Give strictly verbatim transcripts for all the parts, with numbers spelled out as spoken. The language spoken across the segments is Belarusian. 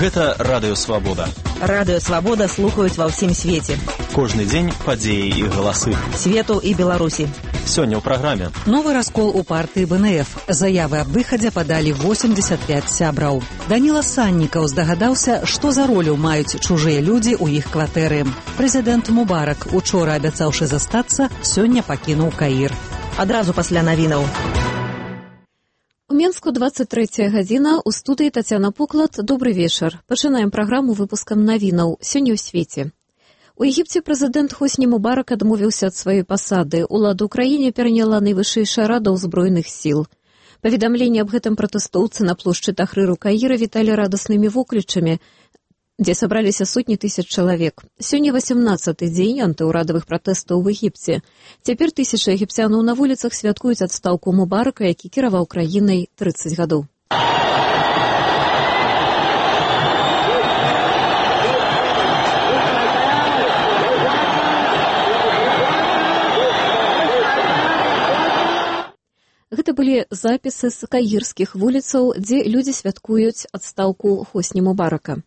Гэта Радыё Свабода. Радыё Свабода слухаюць ва ўсім свеце. Кожны дзень падзеі і галасы. Свету і Беларусі. Сёння ў праграме. Новы раскол у партыі бэ эн эф. Заявы аб выхадзе падалі восемьдесят пять сябраў. Даніла Саннікаў здагадаўся, што за ролю маюць чужыя людзі ў іх кватэры. Прэзідэнт Мубарак, учора абяцаўшы застацца, сёння пакінуў Каір. Адразу пасля навінаў. У Менску двадцать третья гадзіна, у студыі Тацяна Поклад. Добры вечар. Пачынаем праграму выпускам навінаў. Сёння ў свеце. У Егіпце прэзідэнт Хосні Мубарак адмовіўся ад сваёй пасады. Уладу ў краіне пераняла найвышэйшая рада ўзброеных сіл. Паведамленне аб гэтым пратэстоўцы на плошчы Тахрыру Каіра віталі радаснымі воклічамі, дзе сабраліся сотні тысяч чалавек. Сёння васямнаццаты дзень антыўрадавых пратэстаў у Егіпце. Цяпер тысячы егіпцянаў на вуліцах святкуюць адстаўку Мубарака, які кіраваў краінай трыццаць гадоў. Гэта былі запісы з каірскіх вуліцаў, дзе людзі святкуюць адстаўку Хосні Мубарака.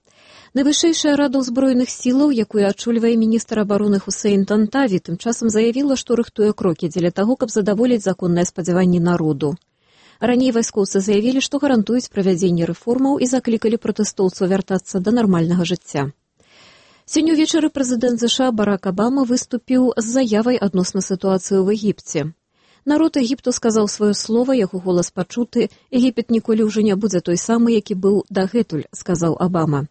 Найвышэйшая рада ўзброеных сілаў, якую ачольвае міністр абароны Хусейн Тантаві, тым часам заявіла, што рыхтуе крокі дзеля таго, каб задаволіць законныя спадзяванні народу. Раней вайскоўцы заявілі, што гарантуюць правядзенне рэформаў і заклікалі пратэстоўцаў вяртацца да нармальнага жыцця. Сёння ўвечары прэзідэнт ЗША Барак Абама выступіў з заявай адносна сітуацыі ў Егіпце. Народ Егіпту сказаў сваё слова, яго голас пачуты, Егіпет ніколі ўжо не будзе той самы, які быў дагэтуль, сказаў Абама.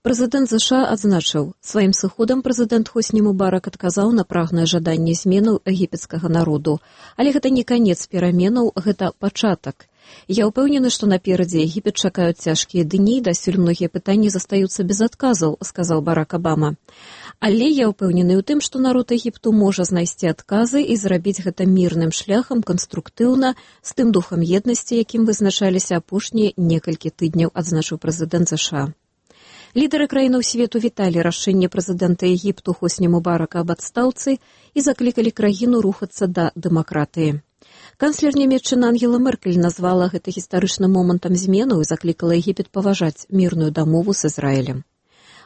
Прэзідэнт ЗША адзначыў, сваім сыходам прэзідэнт Хосні Мубарак адказаў на прагнае жаданне зменаў егіпецкага народу. Але гэта не канец пераменаў, гэта пачатак. Я ўпэўнены, што наперадзе Егіпет чакаюць цяжкія дні, дасюль многія пытанні застаюцца без адказаў, сказаў Барак Абама. Але я ўпэўнены ў тым, што народ Егіпту можа знайсці адказы і зрабіць гэта мірным шляхам, канструктыўна, з тым духам еднасці, якім вызначаліся апошнія некалькі тыдняў, адзначыў прэзідэнт ЗША. Лідары краінаў свету віталі рашэнне прэзідэнта Егіпту Хосні Мубарака аб адстаўцы і заклікалі краіну рухацца да дэмакратыі. Канцлер нямецчыны Ангела Меркель назвала гэта гістарычным момантам зменаў і заклікала Егіпет паважаць мірную дамову з Ізраілем.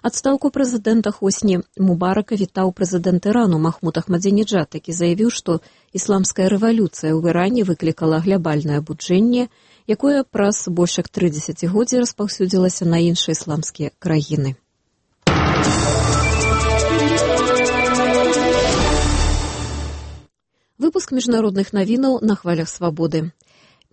Адстаўку прэзідэнта Хосні Мубарака вітаў прэзідэнт Ірану Махмуд Ахмадзінеджад, які заявіў, што ісламская рэвалюцыя ў Іране выклікала глябальнае абуджэнне, якое праз больш як тры дзесяцігоддзі распаўсюдзілася на іншыя ісламскія краіны. Выпуск міжнародных навінаў на хвалях свабоды.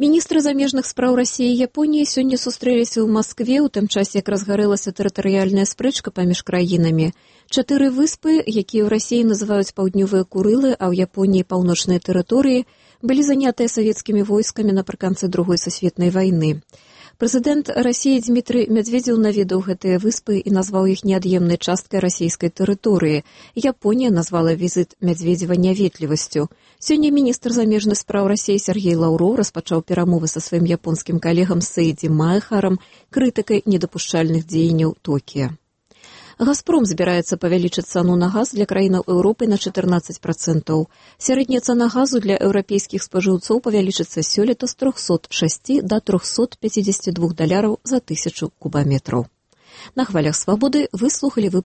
Міністры замежных спраў Расіі і Японіі сёння сустрэліся ў Маскве, у тым часе, як разгарэлася тэрытарыяльная спрэчка паміж краінамі. Чатыры выспы, якія ў Расіі называюць паўднёвыя Курылы, а ў Японіі паўночныя тэрыторыі, былі занятыя савецкімі войскамі напрыканцы другой сусветнай вайны. Прэзідэнт Расіі Дзмітрый Мядзведзеў наведаў гэтыя выспы і назваў іх неад'емнай часткай расійскай тэрыторыі. Японія назвала візіт Мядзведзева няветлівасцю. Сёння міністр замежных спраў Расіі Сергей Лаўроў распачаў перамовы са сваім японскім калегам Сэйдзі Маэхарам, крытыкай недапушчальных дзеянняў Токіа. «Газпром» збіраецца павялічыць цану на газ для краінаў Еўропы на чатырнаццаць працэнтаў. Сярэдняя цана газу для еўрапейскіх спажыўцоў павялічыцца сёлета з трохсот шасці да трохсот пяцідзесяці двух даляраў за тысячу кубаметраў. На хвалях свабоды вы слухалі выпуск